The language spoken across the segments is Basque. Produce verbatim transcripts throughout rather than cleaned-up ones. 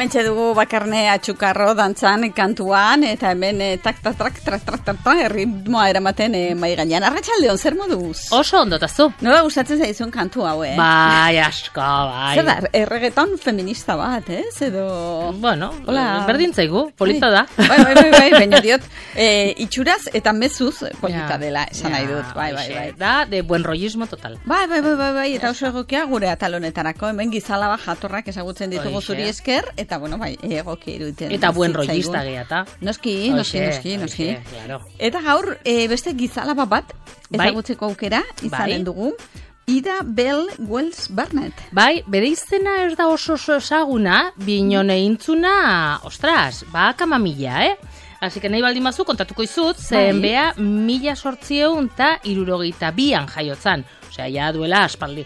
Hementxe dugu Bakarne Atxukarro dantzan kantuan, eta hemen eh, tak, tak, tak, tak, tak, tak, tak, erritmoa eramaten eh, mai gainean. Arratsaldeon, zer moduz? Oso ondotazu. Nola gustatzen zaizun kantu hau, eh? Bai, asko, bai. Zer da, erregeton feminista bat, eh? Edo... Bueno, Hola. berdin zaigu, polita da. Bai, bai, bai, bai, baina diot, eh, itxuraz eta mezuz polita Ja, dela, esan ja, nahi dut, bai, bai, hoxe, bai. Da, de buen rollismo total. Bai, bai, bai, bai, bai, eta oso egokia gure atalonetarako, hemen gizalaba jatorrak ezagutzen ditugu Hoxe. zuri esker, eta bueno, bai, egokia iruditen. Eta buen zitzaigun. rollista gehiata. Noski, noski, Hoxe, noski, noski. hoxe, claro. Eta gaur, e, beste gizalaba bat, Bai. ezagutzeko aukera, izanen Bai. dugu, Ida Bell Wells Barnett. Bai, bere izena ez da oso oso ezaguna, binon eintzuna, ostras, ba, kamamila, eh? Así que nahi baldin bazu kontatuko izut, zen Bai. bea mila sortzieun eta irurogeita bian jaiotzan. Osea, ja duela aspaldi.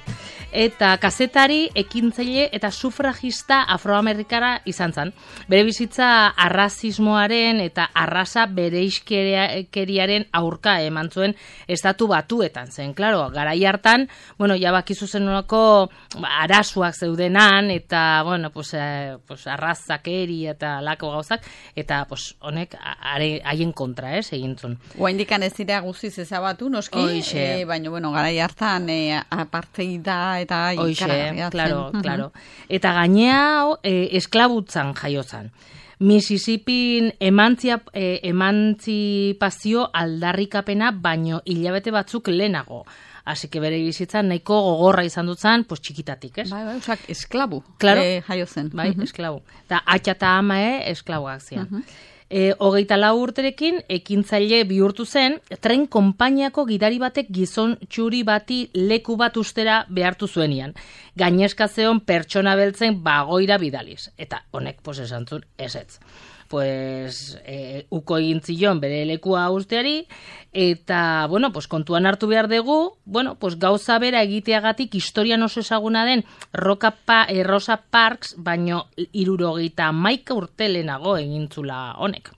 Eta kazetari, ekintzaile eta sufragista afroamerikara izan zen. Bere bizitza arrazismoaren eta arraza bereizkeriaren aurka eman zuen estatu batuetan zen. Claro, garai hartan, bueno, ja bakizu zenolako arazoak zeudenan eta, bueno, pues, eh, pues arrazakeri eta lako gauzak, eta pues, honek are- haien kontra, ez, egin zuen. Oaindikan ez dira guztiz ezabatu, noski, Hoxe. eh, baina, bueno, garai hartan eh, apartheida eta Hoxe, ikaragarria zen. claro, Mhm. claro. Eta gainea eh, esklabutzan jaiozan. Mississippin emantzia, eh, emantzipazio aldarrikapena baino hilabete batzuk lehenago. Así que bere bizitzan nahiko gogorra izan dut zen, pues txikitatik, ez? Bai, bai, osak, esklabu, Claro. eh, jaio zen. Bai, Mhm. esklabu. Eta atxa eta ama, eh, esklabuak zian. E, hogeita lau urterekin ekintzaile bihurtu zen, tren konpainiako gidari batek gizon txuri bati leku bat ustera behartu zuenian. Gainezka zeon pertsona beltzen bagoira bidaliz. Eta honek, pues, esan zuen, ezetz. Pues, e, uko egin zion bere lekua usteari, eta, bueno, pues, kontuan hartu behar dugu, bueno, pues, gauza bera egiteagatik historian oso ezaguna den Roca pa, eh, Rosa Parks, baino irurogeita hamaika urte lehenago egintzula honek.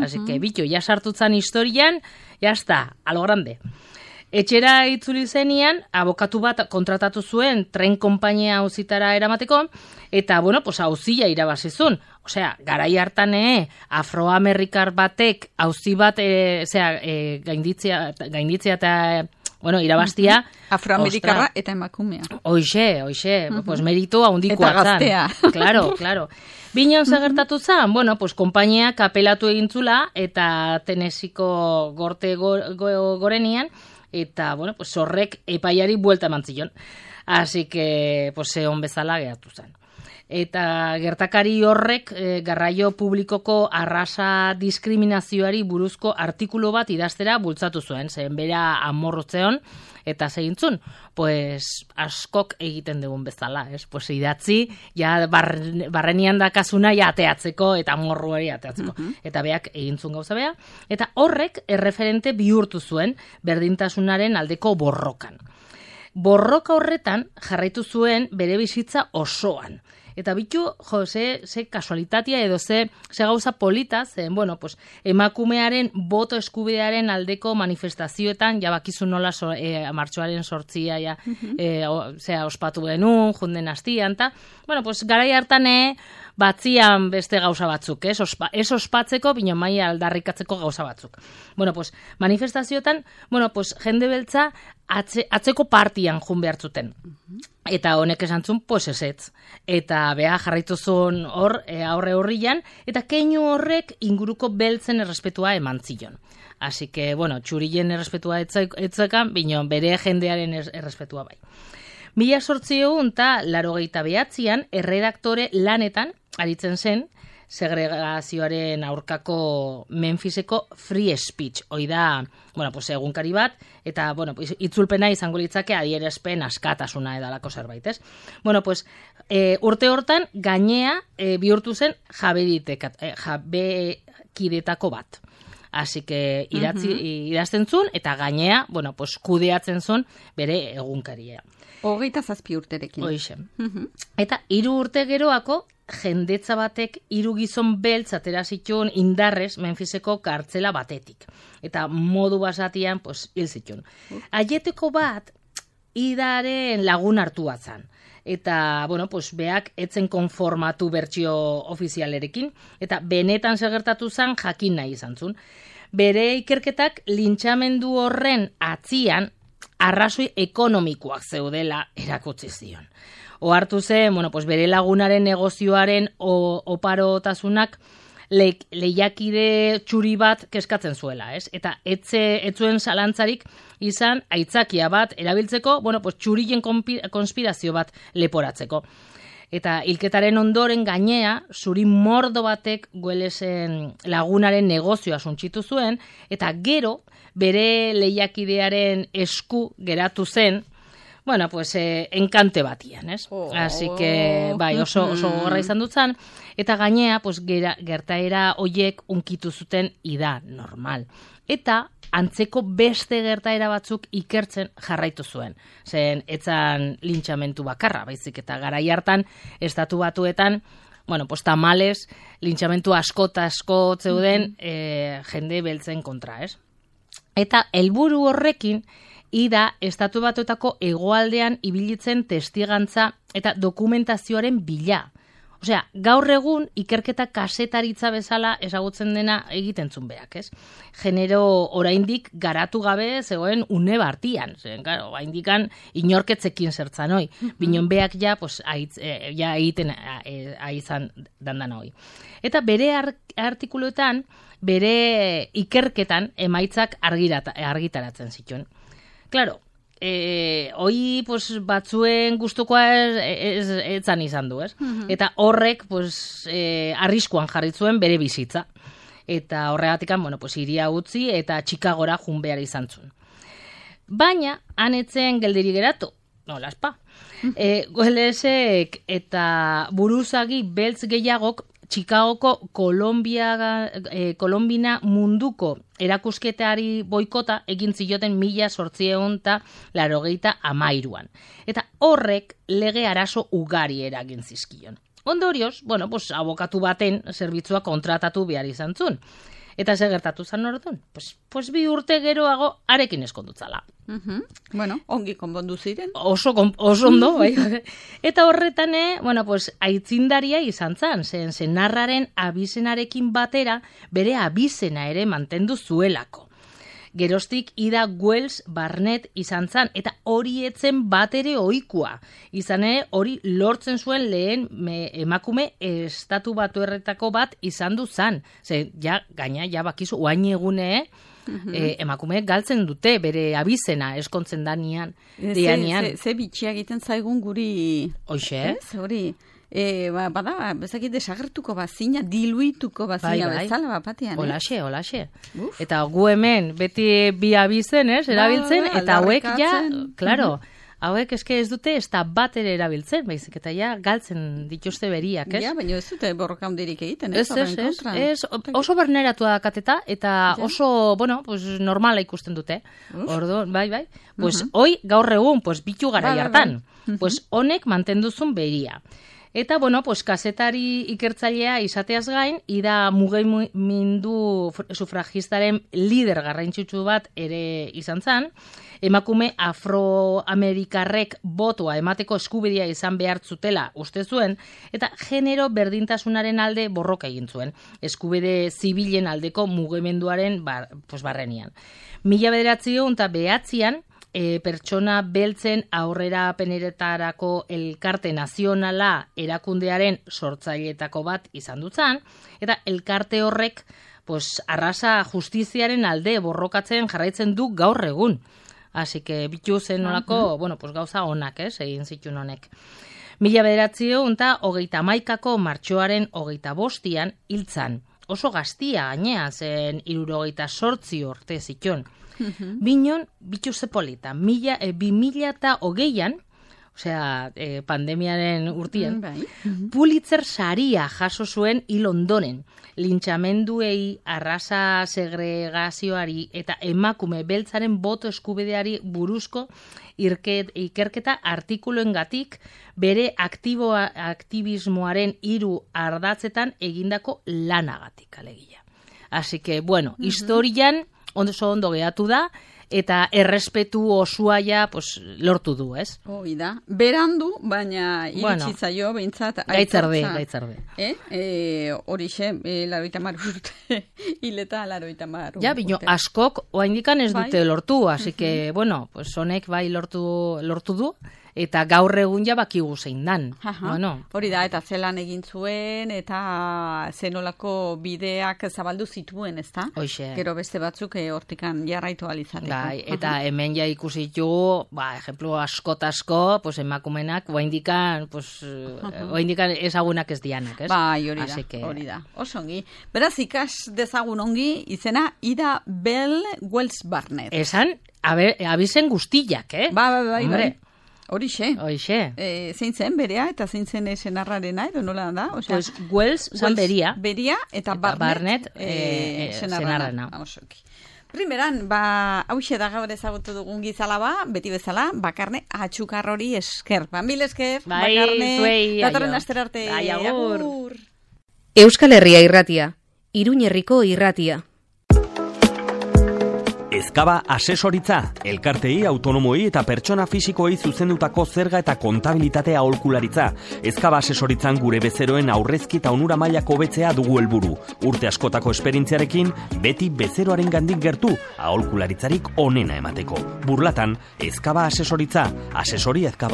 Así que, bitu, ja sartutzan historian, ya está, a lo grande. Etxera itzuli zenian, abokatu bat kontratatu zuen tren konpainia auzitara eramateko, eta, bueno, pues, auzia irabazizun. Osea, garai hartan, eh, afroamerikar batek auzi bat, eh, zera, eh, gainditzea, gainditzea eta, bueno, irabaztia. Afroamerikarra Ostra, eta emakumea. Hoxe, hoxe, pues merito handikoa Eta zan. gaztea. Claro, claro. Binon zagertatu zan, bueno, pues konpainia kapelatu egintzula, eta Tennesseeko gorte go, go, gorenian, eta, bueno, pues horrek epaiari buelta eman zion. Así que, pues, egon bezala geratu zen. Eta gertakari horrek e, garraio publikoko arrasa diskriminazioari buruzko artikulu bat idaztera bultzatu zuen, zen bera amorrotzeon, eta segintzun, pues askok egiten dugun bezala, ez? Pues idatzi, ja bar, barrenian dakasuna ja ateatzeko, eta amorruari ateatzeko. Eta beak egintzun gauza bea, eta horrek erreferente bihurtu zuen berdintasunaren aldeko borrokan. Borroka horretan jarraitu zuen bere bizitza osoan. Eta bitu, jo, ze, ze kasualitatea edo ze, ze gauza polita, zen, bueno, pues, emakumearen boto eskubidearen aldeko manifestazioetan, ja bakizu nola so, e, martxoaren sortzia, ja, e, o, zera, ospatu genuen, junden hastian, eta, bueno, pues, garai hartan, e, batzian beste gauza batzuk, ez, Ospa, ez ospatzeko, bino mai aldarrikatzeko gauza batzuk. Bueno, pues, manifestazioetan, bueno, pues, jende beltza atze, atzeko partian jun behartzuten. Eta honek esan zuen, pues ezetz. Eta beha jarraitu zuen hor, e, aurre horrian, eta keinu horrek inguruko beltzen errespetua eman zion. Así que, bueno, txurien errespetua etzekan, bino bere jendearen errespetua bai. Mila sortzieun eta larogeita behatzian, erredaktore lanetan, aritzen zen, segregazioaren aurkako Memphiseko free speech. Hoi da, bueno, pues, egunkari bat, eta, bueno, pues, itzulpena izango litzake adierazpen askatasuna edalako zerbait, ez? Bueno, pues, e, urte hortan, gainea e, bihurtu zen jabeditekat, e, jabekidetako bat. Así que idatzi, idazten zuen, eta gainea, bueno, pues, kudeatzen zuen bere egunkaria. Hogeita zazpi urterekin. Hoixe. Eta hiru urte geroako, jendetza batek hiru gizon beltz atera zituen indarrez Memphiseko kartzela batetik. Eta modu basatian, pues, hil zituen. Aieteko bat, idaren lagun hartu batzan. eta, bueno, pues, beak etzen konformatu bertsio ofizialerekin, eta benetan segertatu zen jakin nahi izan zuen. Bere ikerketak lintxamendu horren atzian arrazoi ekonomikoak zeudela erakutsi zion. Ohartu zen, bueno, pues, bere lagunaren negozioaren oparotasunak le, lehiakide txuri bat keskatzen zuela, ez? Eta etze, etzuen zalantzarik izan aitzakia bat erabiltzeko, bueno, pues, txurien konspirazio bat leporatzeko. Eta hilketaren ondoren gainea, zuri mordo batek Wellesen lagunaren negozioa suntsitu zuen, eta gero bere lehiakidearen esku geratu zen, bueno, pues, eh, enkante batian, ez? Oh. Así que, bai, oso, oso gorra izan dutzen, eta gainea, pues, gera, gertaera hoiek unkitu zuten ida normal. Eta antzeko beste gertaera batzuk ikertzen jarraitu zuen. Zen, etzan lintxamentu bakarra, baizik, eta garai hartan, estatu batuetan, bueno, pues, tamales, lintxamentu asko eta asko zeuden mm-hmm. eh, jende beltzen kontra, ez? Eta helburu horrekin, ida estatu batuetako hegoaldean ibilitzen testigantza eta dokumentazioaren bila. Osea, gaur egun ikerketa kasetaritza bezala ezagutzen dena egiten zuen beak, ez? Genero oraindik garatu gabe zegoen une bartian. Zen, claro, oraindikan inorketzekin zertzan hoi. Mm-hmm. Binon beak ja, pues, aitz, eh, ja egiten eh, aizan dandan hoi. Eta bere artikuluetan, bere ikerketan emaitzak argirata, argitaratzen zituen. Claro, eh, hoi pues, batzuen gustukoa ez, ez, etzan izan du, ez? Uh-huh. Eta horrek pues, eh, arriskuan jarritzuen bere bizitza. Eta horregatikan, bueno, pues, iria utzi eta Chicagora jun behar izan zuen. Baina, hanetzen geldiri geratu, no, laspa. Uh-huh. Eh, Wellesek eta buruzagi beltz gehiagok Chicagoko Kolombia, eh, Kolombina munduko erakusketari boikota egin zioten mila zortzieun eta larogeita amairuan. Eta horrek lege arazo ugari eragin zizkion. Ondorioz, bueno, pues, abokatu baten zerbitzua kontratatu behar izan zuen. Eta ze gertatu zan orduan? Pues, pues bi urte geroago arekin eskondutzala. Uh-huh. Bueno, ongi konbondu ziren. Oso, oso ondo, bai. Eta horretan, bueno, pues, aitzindaria izan zan, zen senarraren abizenarekin batera bere abizena ere mantendu zuelako. Geroztik ida Wells Barnett izan zan, eta hori etzen bat ere ohikoa. Izan ere hori lortzen zuen lehen me, emakume estatu batuerretako bat izan du zan. Ze, ja, gaina, ja bakizu, oain egune, mm-hmm. eh, emakume galtzen dute bere abizena eskontzen danian. Ze, ze, ze bitxia egiten zaigun guri... Hoxe? Ez, hori... E, ba, bada, bezakit desagertuko bazina, diluituko bazina bai, bai. Bezala bapatean. Olaxe, eh? olaxe. Uf. Eta gu hemen, beti bi abizen, ez, erabiltzen, ba, eta hauek ja, klaro, mm-hmm. hauek eske ez dute, ez da bat ere erabiltzen, baizik, eta ja, galtzen dituzte beriak, ez? Ja, baina ez dute borroka hundirik egiten, ez? Ez, ez, ez, ez, oso berneratu da kateta, eta ja. oso, bueno, pues, normala ikusten dute. Ordo, bai, bai. Pues, uh-huh. hoi, gaur egun, pues, bitu gara jartan. Bai, bai. Pues, honek mantenduzun beria. Eta, bueno, pues, kazetari ikertzailea izateaz gain, ida mugimendu sufragistaren lider garrantzitsu bat ere izan zan, emakume afroamerikarrek botoa emateko eskubidea izan behar zutela uste zuen, eta genero berdintasunaren alde borroka egin zuen, eskubide zibilen aldeko mugimenduaren bar, pues, barrenian. Mila bederatzion eta behatzian, E, pertsona beltzen aurrera peneretarako elkarte nazionala erakundearen sortzailetako bat izan dutzan, eta elkarte horrek pues, arrasa justiziaren alde borrokatzen jarraitzen du gaur egun. Así que bitu zen nolako, uh-huh. bueno, pues, gauza onak, ez, egin zituen honek. Mila bederatzio unta hogeita maikako martxoaren hogeita bostian hiltzan. Oso gaztia gainea zen hirurogeita zortzi urte zituen. Uh-huh. Binon, bitu zepolita, mila, e, bi mila eta hogeian, osea, e, pandemiaren urtien, uh-huh. Pulitzer saria jaso zuen hil ondoren, lintxamenduei, arrasa segregazioari eta emakume beltzaren boto eskubideari buruzko irket, ikerketa artikuloengatik bere aktiboa, aktivismoaren hiru ardatzetan egindako lanagatik alegia. Así que, bueno, uh-huh. historian oso ondo gehatu da, eta errespetu osua ja pues, lortu du, ez? Hoi da. Berandu, baina iritsi Bueno, zaio, behintzat. Gaitzarde, aitortza. gaitzarde. Eh? E, horixe, e, laroita mar urte, hileta laroita mar urte. Ja, bino, askok oaindikan ez dute Bai. lortu, así que, bueno, pues honek bai lortu, lortu du, eta gaur egun ja bakigu zein dan. Aha. Bueno, Hori da, eta zelan egin zuen, eta zenolako bideak zabaldu zituen, ezta? Hoxe. Gero beste batzuk eh, hortikan jarraitu alizateko. Bai, eta hemen ja ikusi ditugu, ba, ejemplo, askot asko, pues emakumenak oaindikan, pues, oaindikan ezagunak ez dianak, ez? Bai, hori da, Así que... hori da. Oso ongi. Beraz, ikas dezagun ongi, izena Ida Bell Wells Barnett. Esan, abe, abizen guztiak, eh? Ba, bai, bai, Hombre, bai. Horixe. Hoxe. E, zein zen berea eta zein zen senarrarena edo nola da? Osea, Pues Wells zan beria. Beria eta Eta Barnett, Barnett, eh, eh, senarrana. senarrana. Osoki. Primeran, ba, hause da gaur ezagutu dugun gizala ba, beti bezala, bakarne atxukarrori esker. Ba, mil esker, Bai, bakarne, zuei, datorren aio. astera arte. Bai, agur. Agur. Euskal Herria irratia, Iruñ herriko irratia. Ezkaba asesoritza, elkartei, autonomoei eta pertsona fisikoei zuzendutako zerga eta kontabilitatea aholkularitza. Ezkaba asesoritzan gure bezeroen aurrezki eta onura mailako hobetzea dugu helburu. Urte askotako esperientziarekin, beti bezeroaren gandik gertu, aholkularitzarik onena emateko. Burlatan, Ezkaba asesoritza, asesori ezkaba